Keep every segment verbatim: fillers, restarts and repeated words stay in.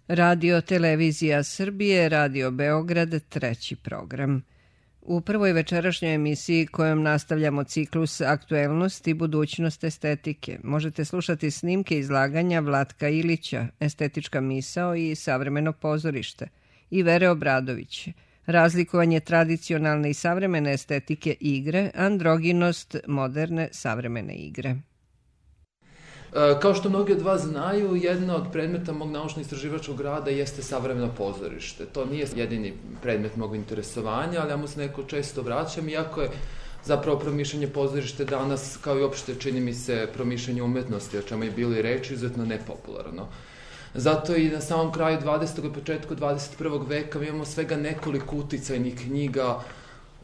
Radio Televizija Srbije, Radio Beograd, treći program. U prvoj večerašnjoj emisiji kojom nastavljamo ciklus Aktuelnost i budućnost estetike možete slušati snimke izlaganja Vlatka Ilića, Estetička misao i savremeno pozorište, i Vere Obradović, razlikovanje tradicionalne i savremene estetike igre, androginost moderne savremene igre. Kao što mnogi od vas znaju, jedna od predmeta mog naučno-istraživačkog rada jeste savremeno pozorište. To nije jedini predmet mog interesovanja, ali ja mu se neko često vraćam, iako je zapravo promišljanje pozorište danas, kao i opšte čini mi se promišljanje umetnosti, o čemu je bilo i reči, izuzetno nepopularno. Zato i na samom kraju dvadesetog i početku dvadeset prvog veka mi imamo svega nekoliko uticajnih knjiga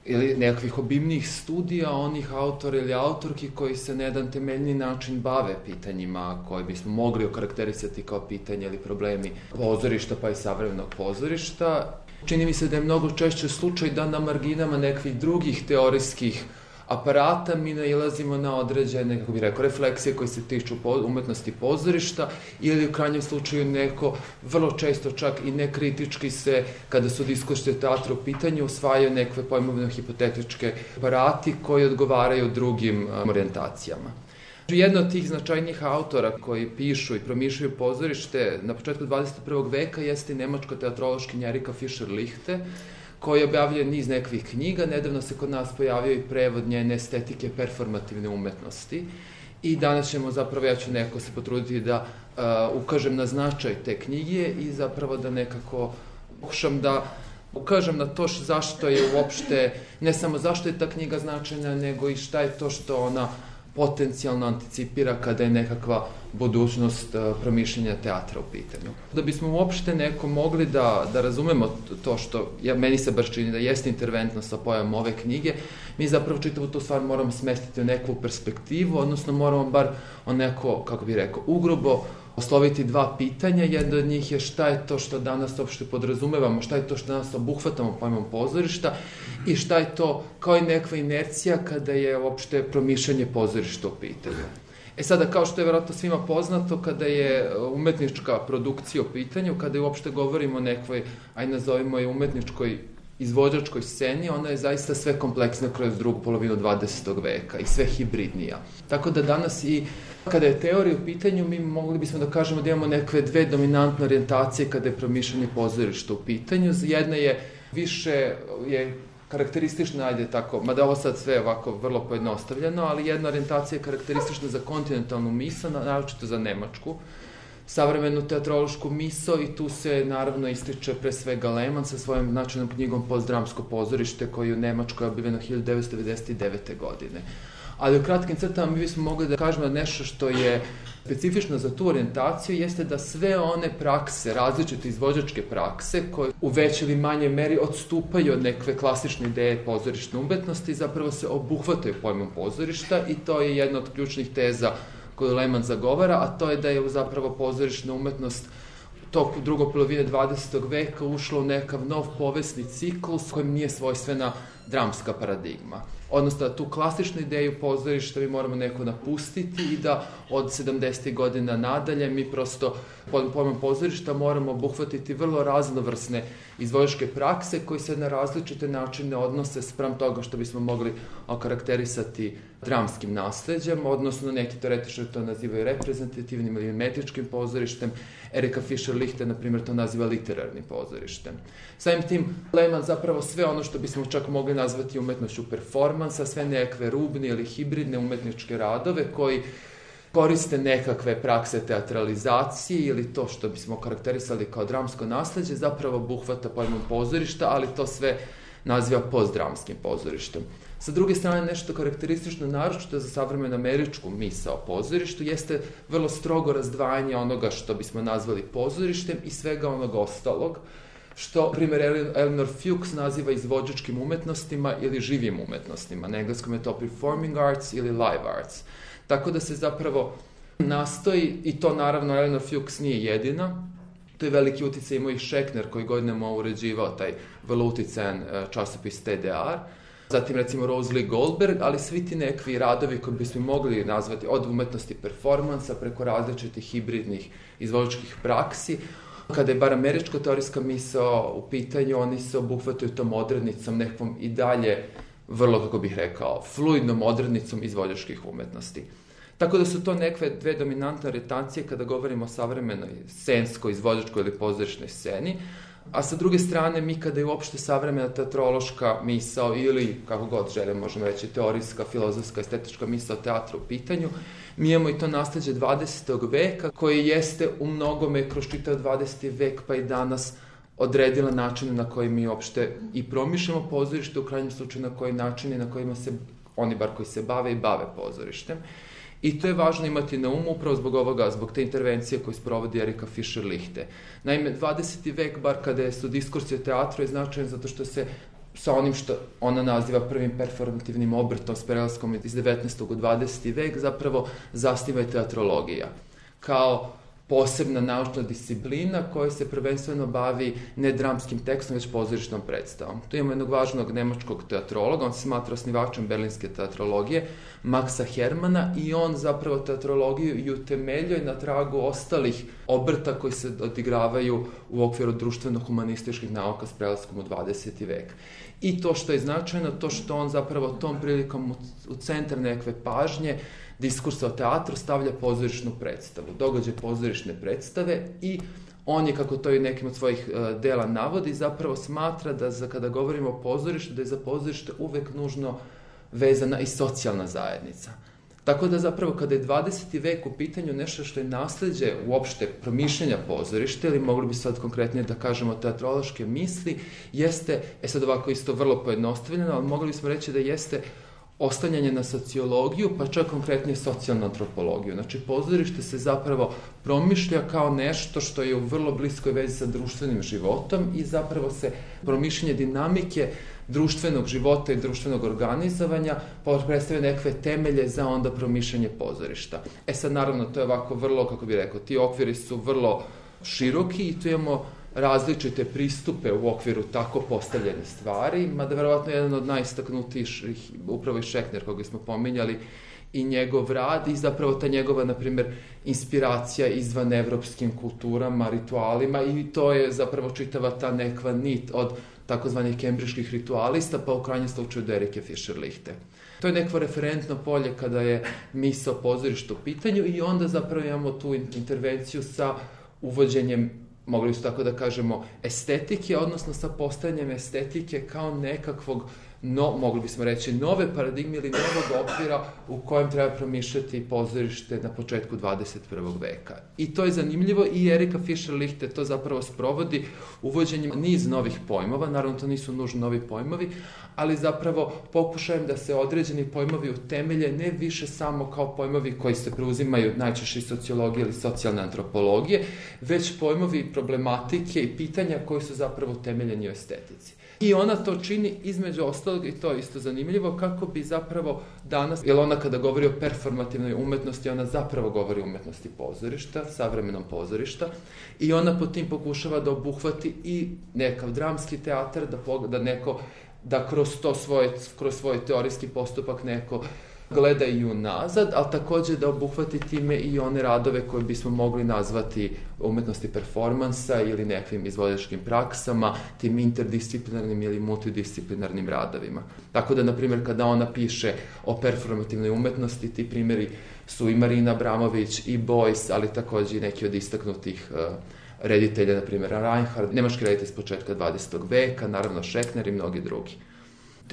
ili nekakvih obimnijih studija onih autora ili autorki koji se na jedan temeljni način bave pitanjima koje bismo mogli okarakterisati kao pitanje ili problemi pozorišta pa i savremenog pozorišta. Čini mi se da je mnogo češće slučaj da na marginama nekih drugih teorijskih aparata mi nailazimo na određene, kako bih rekao, refleksije koje se tiču umetnosti pozorišta ili u krajnjem slučaju neko vrlo često čak i nekritički se, kada su diskusije teatra u pitanju, usvajaju nekve pojmovne hipotetičke aparati koji odgovaraju drugim orijentacijama. Jedna od tih značajnijih autora koji pišu i promišljaju pozorište na početku dvadeset prvog veka jeste nemačka teatrološkinja Erika Fischer-Lichte, koji je objavljen niz nekvih knjiga. Nedavno se kod nas pojavio i prevod njene estetike performativne umetnosti. I danas ćemo zapravo, ja ću neko se potruditi da uh, ukažem na značaj te knjige i zapravo da nekako pokušam da ukažem na to zašto je uopšte, ne samo zašto je ta knjiga značajna, nego i šta je to što ona potencijalno anticipira kada je nekakva budućnost uh, promišljenja teatra u pitanju. Da bismo uopšte neko mogli da, da razumemo to što, ja, meni se baš čini da jeste interventno sa pojavom ove knjige, mi zapravo čitavu tu stvar moramo smestiti u neku perspektivu, odnosno moramo bar o neko, kako bih rekao, ugrubo osloviti dva pitanja. Jedno od njih je šta je to što danas uopšte podrazumevamo, šta je to što danas obuhvatamo pojmom pozorišta i šta je to kao i nekva inercija kada je uopšte promišljanje pozorišta u pitanju. E sada, kao što je vjerojatno svima poznato, kada je umetnička produkcija u pitanju, kada je uopšte govorimo o nekvoj, aj nazovimo je umetničkoj izvođačkoj sceni, ona je zaista sve kompleksna kroz drugu polovinu dvadesetog veka i sve hibridnija. Tako da danas i kada je teorija u pitanju, mi mogli bismo da kažemo da imamo nekve dve dominantne orijentacije kada je promišljanje pozorišta u pitanju. Jedna je više je karakteristična, ajde tako, mada ovo sad sve ovako vrlo pojednostavljeno, ali jedna orijentacija je karakteristična za kontinentalnu misao, naročito za nemačku, savremenu teatrološku misao, i tu se naravno ističe pre svega Lehmann sa svojom značajnom knjigom Postdramsko pozorište, koji je u Nemačkoj objavljeno hiljadu devetsto devedeset devete. godine. Ali u kratkim crtama mi bismo mogli da kažemo nešto što je specifično za tu orijentaciju, jeste da sve one prakse, različite izvođačke prakse, koje u većoj ili manje meri odstupaju od nekve klasične ideje pozorišne umetnosti, zapravo se obuhvataju pojmom pozorišta, i to je jedna od ključnih teza koju Lehmann zagovara, a to je da je zapravo pozorišna umetnost toku drugog polovine dvadesetog veka ušla u nekav nov povesni ciklus kojem nije svojstvena dramska paradigma. Odnosno, tu klasičnu ideju pozorišta mi moramo neko napustiti i da od sedamdesetih godina nadalje mi prosto pojmom pozorišta moramo obuhvatiti vrlo raznovrsne izvođačke prakse koji se na različite načine odnose spram toga što bismo mogli okarakterisati dramskim nasleđem, odnosno neki teoretičari to nazivaju reprezentativnim ili metričkim pozorištem. Erika Fischer-Lichte, na primjer, to naziva literarnim pozorištem. Samim tim, Lehmann zapravo sve ono što bismo čak mogli nazvati umetnošću performansa, sve nekakve rubne ili hibridne umetničke radove koji koriste nekakve prakse teatralizacije ili to što bismo karakterisali kao dramsko nasleđe, zapravo obuhvata pojmom pozorišta, ali to sve naziva postdramskim pozorištem. Sa druge strane, nešto karakteristično naročito za savremenu američku misao o pozorištu jeste vrlo strogo razdvajanje onoga što bismo nazvali pozorištem i svega onog ostalog, što, primjer, Eleanor Fuchs naziva izvođačkim umetnostima ili živim umetnostima. Na engleskom je to performing arts ili live arts. Tako da se zapravo nastoji, i to naravno Eleanor Fuchs nije jedina, to je veliki uticaj imao i Schechner koji godinama uređivao taj vrlo uticajan časopis T D R, zatim recimo Rose Lee Goldberg, ali svi ti nekvi radovi koji bismo mogli nazvati od umetnosti performansa preko različitih hibridnih izvođačkih praksi, Kada je bar američka teorijska misao u pitanju, oni se obuhvataju tom odrednicom nekvom i dalje vrlo, kako bih rekao, fluidnom odrednicom izvođačkih umetnosti. Tako da su to nekve dve dominantne orientacije kada govorimo o savremenoj scenskoj, izvođačkoj ili pozorišnoj sceni, a sa druge strane mi kada je uopšte savremena teatrološka misao ili, kako god želimo, možemo reći, teorijska, filozofska, estetička misao teatra u pitanju, mi imamo i to nasleđe dvadesetog veka koje jeste u mnogome kroz čitav dvadeseti vek pa i danas odredila načine na koji mi uopšte i promišljamo pozorište, u krajnjem slučaju na koji načini na kojima se oni bar koji se bave i bave pozorištem. I to je važno imati na umu upravo zbog ovoga, zbog te intervencije koju sprovodi Erika Fischer-Lichte. Naime, dvadeseti vek, bar kada su diskursi o teatru, je značajan zato što se sa onim što ona naziva prvim performativnim obrtom s prelaskom iz devetnaestog u dvadeseti vek, zapravo zasniva i teatrologija. Kao posebna naučna disciplina koja se prvenstveno bavi ne dramskim tekstom, već pozorišnom predstavom. Tu imamo jednog važnog nemačkog teatrologa, on se smatra osnivačem berlinske teatrologije, Maxa Hermana, i on zapravo teatrologiju i utemeljuje na tragu ostalih obrta koji se odigravaju u okviru društveno-humanističkih nauka s prelaskom u dvadeseti vek. I to što je značajno, to što on zapravo tom prilikom u centar nekve pažnje diskursa o teatru stavlja pozorišnu predstavu, događaj pozorišne predstave, i on je, kako to i nekim od svojih uh, dela navodi, zapravo smatra da za, kada govorimo o pozorištu, da je za pozorište uvek nužno vezana i socijalna zajednica. Tako da zapravo kada je dvadeseti vek u pitanju nešto što je nasleđe uopšte promišljanja pozorišta, ili mogli bi sad konkretnije da kažemo teatrološke misli, jeste, e sad ovako isto vrlo pojednostavljeno, ali mogli bismo reći da jeste oslanjanje na sociologiju, pa čak konkretnije socijalnu antropologiju. Znači, pozorište se zapravo promišlja kao nešto što je u vrlo bliskoj vezi sa društvenim životom i zapravo se promišljanje dinamike društvenog života i društvenog organizovanja predstavlja nekve temelje za onda promišljanje pozorišta. E sad, naravno, to je ovako vrlo, kako bih rekao, ti okviri su vrlo široki i tu imamo različite pristupe u okviru tako postavljene stvari, mada verovatno jedan od najistaknutijih, upravo i Schechner, koga smo pominjali, i njegov rad i zapravo ta njegova, na primjer, inspiracija izvan evropskim kulturama, ritualima, i to je zapravo čitava ta nekva nit od takozvanih kembriških ritualista, pa u krajnjem slučaju do Erike Fischer-Lichte. To je neko referentno polje kada je misao pozorišta u pitanju i onda zapravo imamo tu intervenciju sa uvođenjem, mogli su tako da kažemo, estetike, odnosno sa postavljanjem estetike kao nekakvog, no, mogli bismo reći, nove paradigme ili novog okvira u kojem treba promišljati pozorište na početku dvadeset prvog veka. I to je zanimljivo i Erika Fischer-Lichte to zapravo sprovodi uvođenjem niz novih pojmova, naravno to nisu nužno novi pojmovi, ali zapravo pokušajem da se određeni pojmovi utemelje ne više samo kao pojmovi koji se preuzimaju najčešće iz sociologije ili socijalne antropologije, već pojmovi problematike i pitanja koji su zapravo utemeljeni u estetici. I ona to čini između ostalog, i to je isto zanimljivo, kako bi zapravo danas, jer ona kada govori o performativnoj umetnosti, ona zapravo govori o umetnosti pozorišta, savremenom pozorišta, i ona po tim pokušava da obuhvati i nekav dramski teatar, da, da neko, da kroz to svoje, kroz svoj teorijski postupak neko gleda i unazad, ali takođe da obuhvati time i one radove koje bismo mogli nazvati umetnosti performansa ili nekvim izvođačkim praksama, tim interdisciplinarnim ili multidisciplinarnim radovima. Tako da, na primjer, kada ona piše o performativnoj umetnosti, ti primjeri su i Marina Abramović i Beuys, ali takođe i neki od istaknutih uh, reditelja, na primjer Reinhardt, nemački reditelj s početka dvadesetog veka, naravno Schechner i mnogi drugi.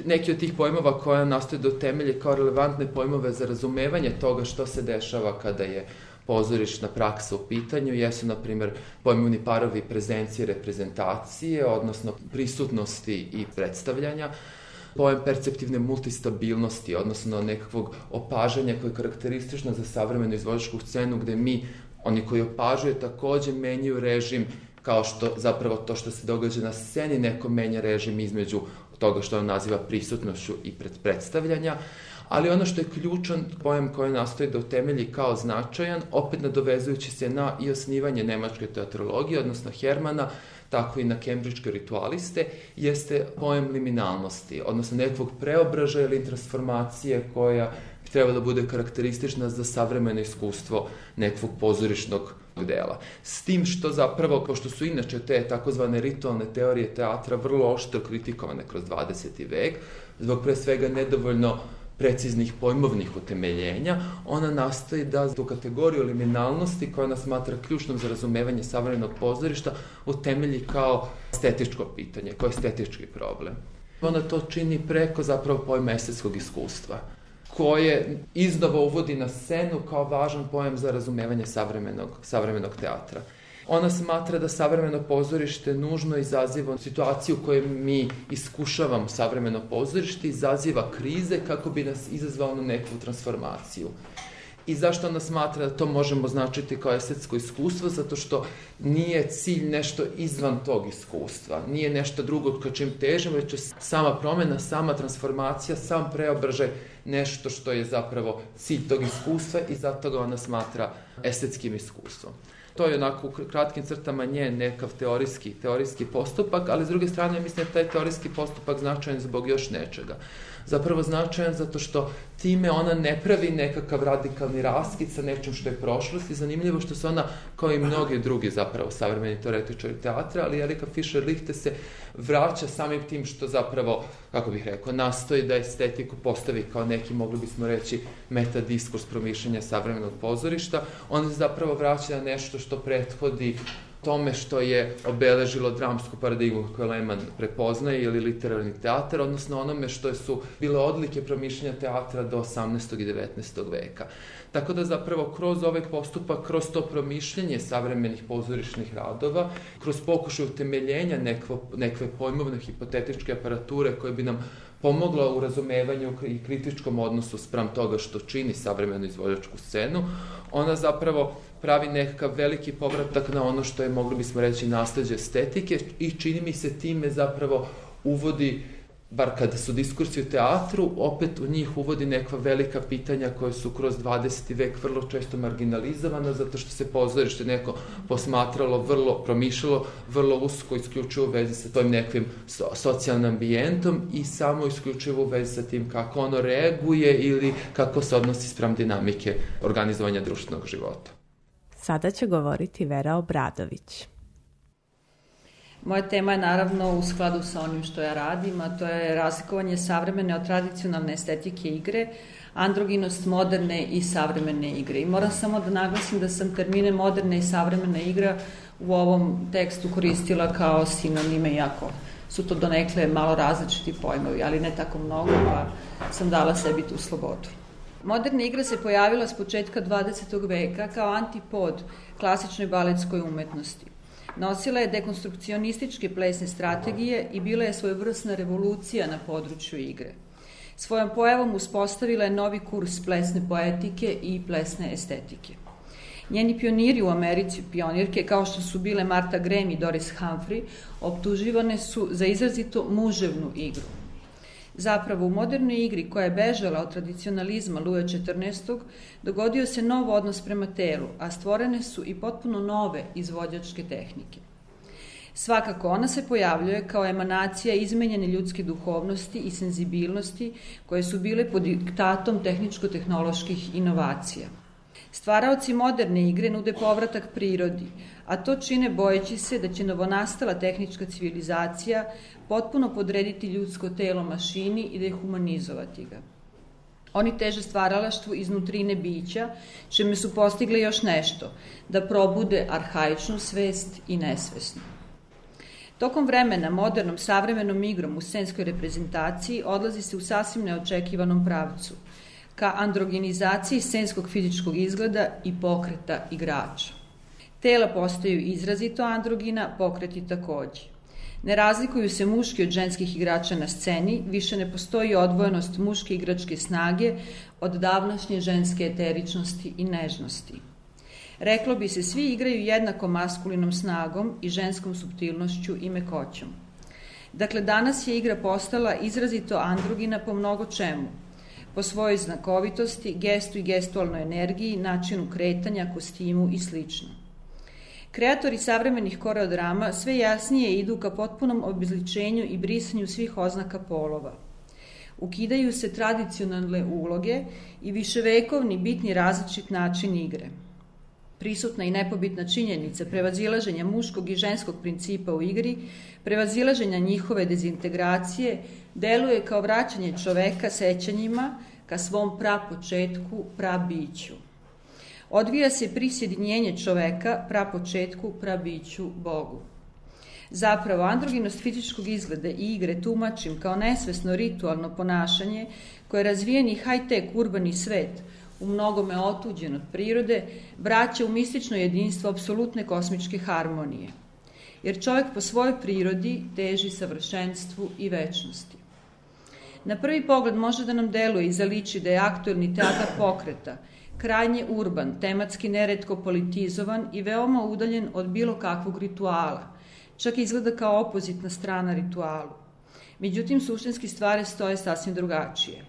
Neki od tih pojmova koja nastoje da utemelje kao relevantne pojmove za razumevanje toga što se dešava kada je pozorišna praksa u pitanju, jesu, na primjer, pojmovni parovi prezencije, reprezentacije, odnosno prisutnosti i predstavljanja, pojam perceptivne multistabilnosti, odnosno nekakvog opažanja koje je karakteristično za savremenu izvođačku scenu, gde mi, oni koji opažuju, takođe menjaju režim, kao što zapravo to što se događa na sceni, neko menja režim između toga što on naziva prisutnošću i predstavljanja, ali ono što je ključan pojam koji nastoji da utemelji kao značajan, opet nadovezujući se na i osnivanje nemačke teatrologije, odnosno Hermana, tako i na kembričke ritualiste, jeste pojam liminalnosti, odnosno nekog preobražaja ili transformacije koja bi trebalo da bude karakteristična za savremeno iskustvo nekog pozorišnog dela. S tim što zapravo, kao što su inače te takozvane ritualne teorije teatra vrlo oštro kritikovane kroz dvadeseti vek, zbog pre svega nedovoljno preciznih pojmovnih utemeljenja, ona nastoji da tu kategoriju liminalnosti, koja ona smatra ključnom za razumevanje savremenog pozorišta, utemelji kao estetičko pitanje, kao estetički problem. Ona to čini preko zapravo pojma estetskog iskustva, koje iznova uvodi na scenu kao važan pojam za razumevanje savremenog, savremenog teatra. Ona smatra da savremeno pozorište nužno izaziva situaciju u kojoj mi iskušavamo savremeno pozorište, izaziva krize kako bi nas izazvalo na neku transformaciju. I zašto ona smatra da to možemo označiti kao estetsko iskustvo? Zato što nije cilj nešto izvan tog iskustva, nije nešto drugo ka čim težimo, već je sama promena, sama transformacija, sam preobražaj nešto što je zapravo cilj tog iskustva i zato ga ona smatra estetskim iskustvom. To je onako u kratkim crtama njen nekav teorijski, teorijski postupak, ali s druge strane mislim da je taj teorijski postupak značajan zbog još nečega. Zapravo značajan zato što time ona ne pravi nekakav radikalni raskid sa nečim što je prošlost i zanimljivo što se ona, kao i mnogi drugi zapravo savremeni teoretičari teatra, ali Erika Fischer-Lichte se vraća samim tim što zapravo, kako bih rekao, nastoji da estetiku postavi kao neki, mogli bismo reći, metadiskurs promišljanja savremenog pozorišta. Ona se zapravo vraća na nešto što prethodi tome što je obeležilo dramsku paradigmu koju Lehmann prepoznaje ili literarni teatar, odnosno onome što su bile odlike promišljanja teatra do osamnaestog i devetnaestog veka. Tako da zapravo kroz ovaj postupak, kroz to promišljanje savremenih pozorišnih radova, kroz pokušaj utemeljenja nekvo, nekve pojmovne hipotetičke aparature koje bi nam pomogla u razumevanju i kritičkom odnosu spram toga što čini savremenu izvođačku scenu, ona zapravo pravi nekakav veliki povratak na ono što je, mogli bismo reći, nasleđe estetike i čini mi se time zapravo uvodi, bar kada su diskursi u teatru, opet u njih uvodi nekva velika pitanja koje su kroz dvadeseti vek vrlo često marginalizovana, zato što se pozorište neko posmatralo, vrlo promišljalo, vrlo usko isključivo u vezi sa tojim nekvim so, socijalnim ambijentom i samo isključivo u vezi sa tim kako ono reaguje ili kako se odnosi spram dinamike organizovanja društvenog života. Sada će govoriti Vera Obradović. Moja tema je naravno u skladu sa onim što ja radim, a to je razlikovanje savremene od tradicionalne estetike igre, androginost moderne i savremene igre. I moram samo da naglasim da sam termine moderne i savremena igra u ovom tekstu koristila kao sinonime, iako su to donekle malo različiti pojmovi, ali ne tako mnogo, pa sam dala sebi tu slobodu. Moderna igra se pojavila s početka dvadesetog veka kao antipod klasičnoj baletskoj umetnosti. Nosila je dekonstrukcionističke plesne strategije i bila je svojevrsna revolucija na području igre. Svojom pojavom uspostavila je novi kurs plesne poetike i plesne estetike. Njeni pioniri u Americi, pionirke kao što su bile Martha Graham i Doris Humphrey, optuživane su za izrazito muževnu igru. Zapravo, u modernoj igri koja je bežala od tradicionalizma Luja četrnaestog dogodio se nov odnos prema telu, a stvorene su i potpuno nove izvođačke tehnike. Svakako, ona se pojavljuje kao emanacija izmenjene ljudske duhovnosti i senzibilnosti koje su bile pod diktatom tehničko-tehnoloških inovacija. Stvaraoci moderne igre nude povratak prirodi, a to čine bojeći se da će novonastala tehnička civilizacija potpuno podrediti ljudsko telo mašini i dehumanizovati ga. Oni teže stvaralaštvu iznutrine bića, čime su postigli još nešto, da probude arhaičnu svest i nesvesnu. Tokom vremena modernom savremenom igrom u scenskoj reprezentaciji odlazi se u sasvim neočekivanom pravcu, ka androgenizaciji scenskog fizičkog izgleda i pokreta igrača. Tela postaju izrazito androgina, pokreti takođe. Ne razlikuju se muški od ženskih igrača na sceni, više ne postoji odvojenost muške igračke snage od davnašnje ženske eteričnosti i nežnosti. Reklo bi se, svi igraju jednako maskulinom snagom i ženskom suptilnošću i mekoćom. Dakle, danas je igra postala izrazito androgina po mnogo čemu, po svojoj znakovitosti, gestu i gestualnoj energiji, načinu kretanja, kostimu i slično. Kreatori savremenih koreodrama sve jasnije idu ka potpunom obezličenju i brisanju svih oznaka polova. Ukidaju se tradicionalne uloge i viševekovni bitni različit način igre. Prisutna i nepobitna činjenica prevazilaženja muškog i ženskog principa u igri, prevazilaženja njihove dezintegracije, deluje kao vraćanje čoveka sećanjima ka svom prapočetku, prabiću. Odvija se prisjedinjenje čoveka prapočetku, prabiću, Bogu. Zapravo, androginost fizičkog izgleda i igre tumačim kao nesvesno ritualno ponašanje koje razvijeni high-tech urbani svet, u mnogome otuđen od prirode, vraća u mistično jedinstvo apsolutne kosmičke harmonije. Jer čovjek po svojoj prirodi teži savršenstvu i večnosti. Na prvi pogled može da nam deluje i zaliči da je aktuelni teatar pokreta, krajnje urban, tematski neretko politizovan i veoma udaljen od bilo kakvog rituala, čak izgleda kao opozitna strana ritualu. Međutim, suštinski stvari stoje sasvim drugačije.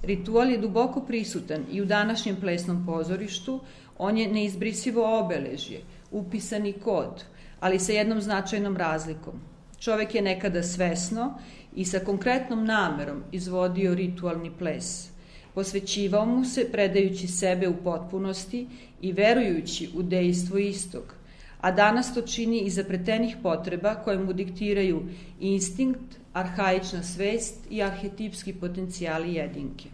Ritual je duboko prisutan i u današnjem plesnom pozorištu, on je neizbrisivo obeležje, upisani kod, ali sa jednom značajnom razlikom. Čovek je nekada svesno i sa konkretnom namerom izvodio ritualni ples. Posvećivao mu se predajući sebe u potpunosti i verujući u dejstvo istog, a danas to čini iz zapletenih potreba koje mu diktiraju instinkt, arhaična svest i arhetipski potencijali jedinke.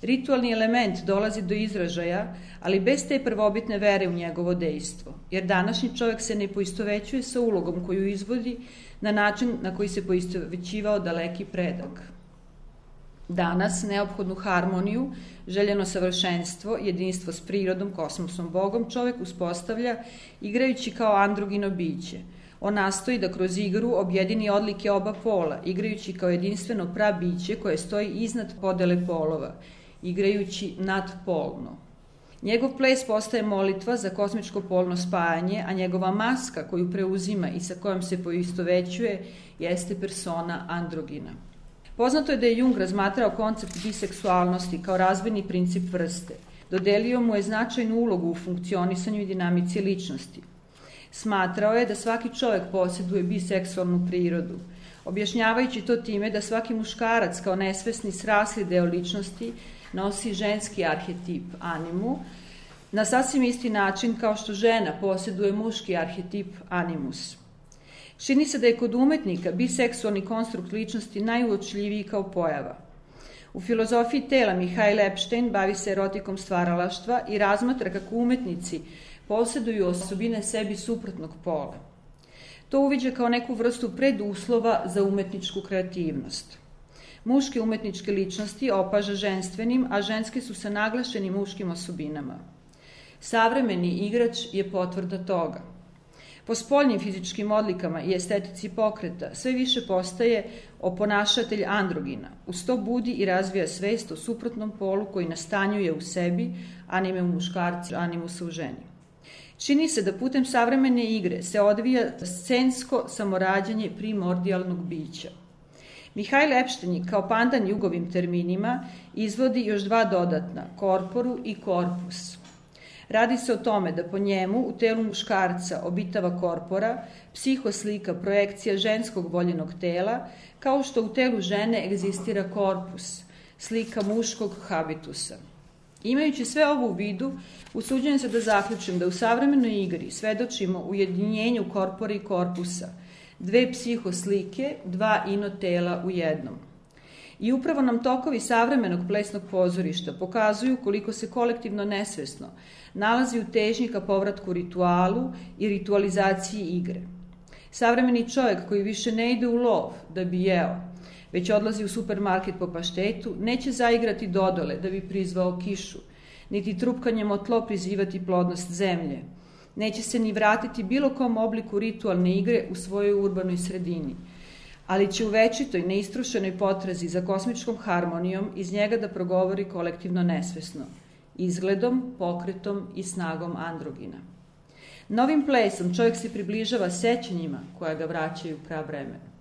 Ritualni element dolazi do izražaja, ali bez te prvobitne vere u njegovo dejstvo, jer današnji čovjek se ne poistovećuje sa ulogom koju izvodi na način na koji se poistovećivao daleki predak. Danas neophodnu harmoniju, željeno savršenstvo, jedinstvo s prirodom, kosmosom, Bogom, čovjek uspostavlja igrajući kao androgino biće. On nastoji da kroz igru objedini odlike oba pola, igrajući kao jedinstveno prabiće koje stoji iznad podele polova, igrajući nadpolno. Njegov ples postaje molitva za kosmičko polno spajanje, a njegova maska koju preuzima i sa kojom se poistovećuje jeste persona androgina. Poznato je da je Jung razmatrao koncept biseksualnosti kao razvojni princip vrste. Dodelio mu je značajnu ulogu u funkcionisanju i dinamici ličnosti. Smatrao je da svaki čovjek posjeduje biseksualnu prirodu, objašnjavajući to time da svaki muškarac kao nesvesni srasli deo ličnosti nosi ženski arhetip animu, na sasvim isti način kao što žena posjeduje muški arhetip animus. Čini se da je kod umetnika biseksualni konstrukt ličnosti najuočljiviji kao pojava. U filozofiji tela Mihail Epstein bavi se erotikom stvaralaštva i razmatra kako umetnici posjeduju osobine sebi suprotnog pola. To uviđa kao neku vrstu preduslova za umetničku kreativnost. Muške umetničke ličnosti opaža ženstvenim, a ženske su sa naglašenim muškim osobinama. Savremeni igrač je potvrda toga. Po spoljnim fizičkim odlikama i estetici pokreta sve više postaje oponašatelj androgina. Uz to budi i razvija svest o suprotnom polu koji nastanjuje u sebi anime u muškarci, animusa u ženi. Čini se da putem savremene igre se odvija scensko samorađanje primordijalnog bića. Mihail Epstein kao pandan Jugovim terminima izvodi još dva dodatna, korporu i korpus. Radi se o tome da po njemu u telu muškarca obitava korpora, psihoslika, projekcija ženskog voljenog tela, kao što u telu žene egzistira korpus, slika muškog habitusa. Imajući sve ovo u vidu, usuđujem se da zaključim da u savremenoj igri svedočimo ujedinjenju korpora i korpusa, dve psihoslike, dva inotela u jednom. I upravo nam tokovi savremenog plesnog pozorišta pokazuju koliko se kolektivno nesvesno nalazi u težnji ka povratku ritualu i ritualizaciji igre. Savremeni čovjek koji više ne ide u lov da bi jeo, već odlazi u supermarket po paštetu, neće zaigrati dodole da bi prizvao kišu, niti trupkanjem o tlo prizivati plodnost zemlje. Neće se ni vratiti bilo kom obliku ritualne igre u svojoj urbanoj sredini, ali će u večitoj, neistrušenoj potrazi za kosmičkom harmonijom iz njega da progovori kolektivno nesvesno, izgledom, pokretom i snagom androgina. Novim plesom čovjek se približava sećanjima koja ga vraćaju pravremeno.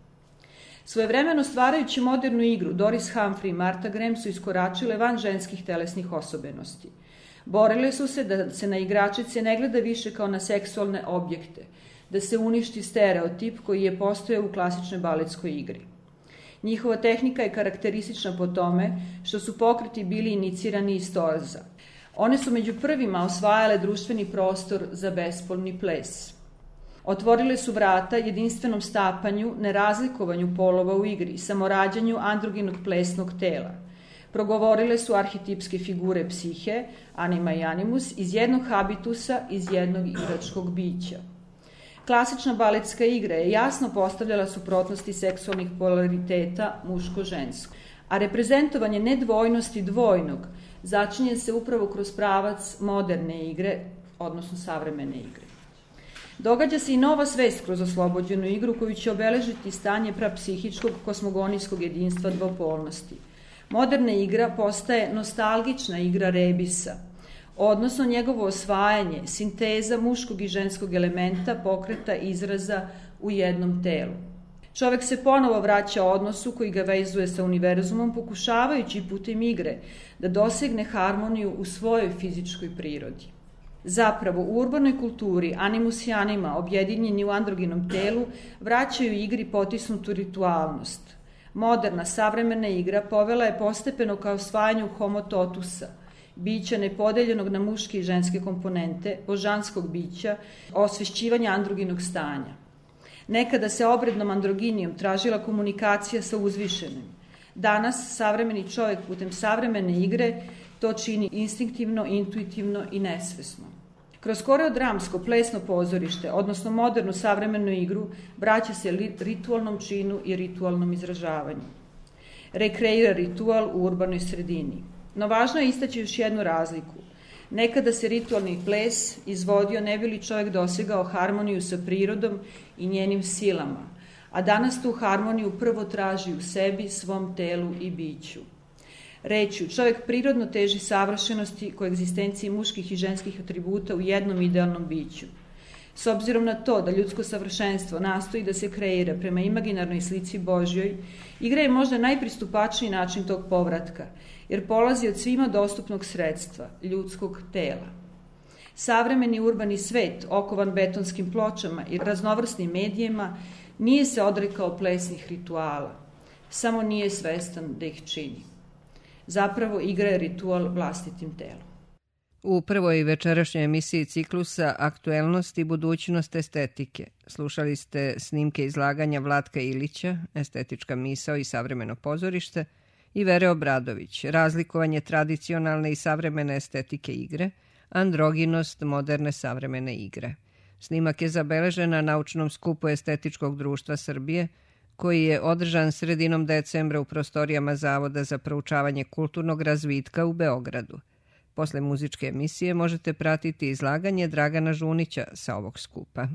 Svojevremeno stvarajući modernu igru, Doris Humphrey i Martha Graham su iskoračile van ženskih telesnih osobenosti. Borile su se da se na igračice ne gleda više kao na seksualne objekte, da se uništi stereotip koji je postojao u klasičnoj baletskoj igri. Njihova tehnika je karakteristična po tome što su pokreti bili inicirani iz torza. One su među prvima osvajale društveni prostor za bespolni ples. Otvorile su vrata jedinstvenom stapanju, nerazlikovanju polova u igri, samorađanju androginog plesnog tela. Progovorile su arhetipske figure psihe, anima i animus, iz jednog habitusa, iz jednog igračkog bića. Klasična baletska igra je jasno postavljala suprotnosti seksualnih polariteta muško-žensko, a reprezentovanje nedvojnosti dvojnog začinje se upravo kroz pravac moderne igre, odnosno savremene igre. Događa se i nova svest kroz oslobođenu igru koju će obeležiti stanje prapsihičkog kosmogonijskog jedinstva dvopolnosti. Moderna igra postaje nostalgična igra rebisa, odnosno njegovo osvajanje, sinteza muškog i ženskog elementa, pokreta, izraza u jednom telu. Čovek se ponovo vraća odnosu koji ga vezuje sa univerzumom, pokušavajući putem igre da dosegne harmoniju u svojoj fizičkoj prirodi. Zapravo, u urbanoj kulturi animus i anima, objedinjeni u androginom telu, vraćaju igri potisnutu ritualnost. Moderna, savremena igra povela je postepeno ka osvajanju homo totusa, bića nepodeljenog na muške i ženske komponente, božanskog bića, osvešćivanja androginog stanja. Nekada se obrednom androginijom tražila komunikacija sa uzvišenim. Danas savremeni čovjek putem savremene igre to čini instinktivno, intuitivno i nesvesno. Kroz koreodramsko plesno pozorište, odnosno modernu savremenu igru, vraća se ritualnom činu i ritualnom izražavanju. Rekreira ritual u urbanoj sredini. No važno je istaći još jednu razliku. Nekada se ritualni ples izvodio ne bi li čovjek dosegao harmoniju sa prirodom i njenim silama, a danas tu harmoniju prvo traži u sebi, svom telu i biću. Rečju, čovjek prirodno teži savršenosti koegzistenciji muških i ženskih atributa u jednom idealnom biću. S obzirom na to da ljudsko savršenstvo nastoji da se kreira prema imaginarnoj slici Božjoj, igra je možda najpristupačniji način tog povratka, jer polazi od svima dostupnog sredstva, ljudskog tela. Savremeni urbani svet, okovan betonskim pločama i raznovrsnim medijima, nije se odrekao plesnih rituala, samo nije svestan da ih čini. Zapravo igra je ritual vlastitim telom. U prvoj večerašnjoj emisiji ciklusa Aktuelnost i budućnost estetike slušali ste snimke izlaganja Vlatka Ilića, Estetička misao i savremeno pozorište, i Vere Obradović, Razlikovanje tradicionalne i savremene estetike igre, androginost moderne savremene igre. Snimak je zabeležen na naučnom skupu Estetičkog društva Srbije, koji je održan sredinom decembra u prostorijama Zavoda za proučavanje kulturnog razvitka u Beogradu. Posle muzičke emisije možete pratiti izlaganje Dragana Žunića sa ovog skupa.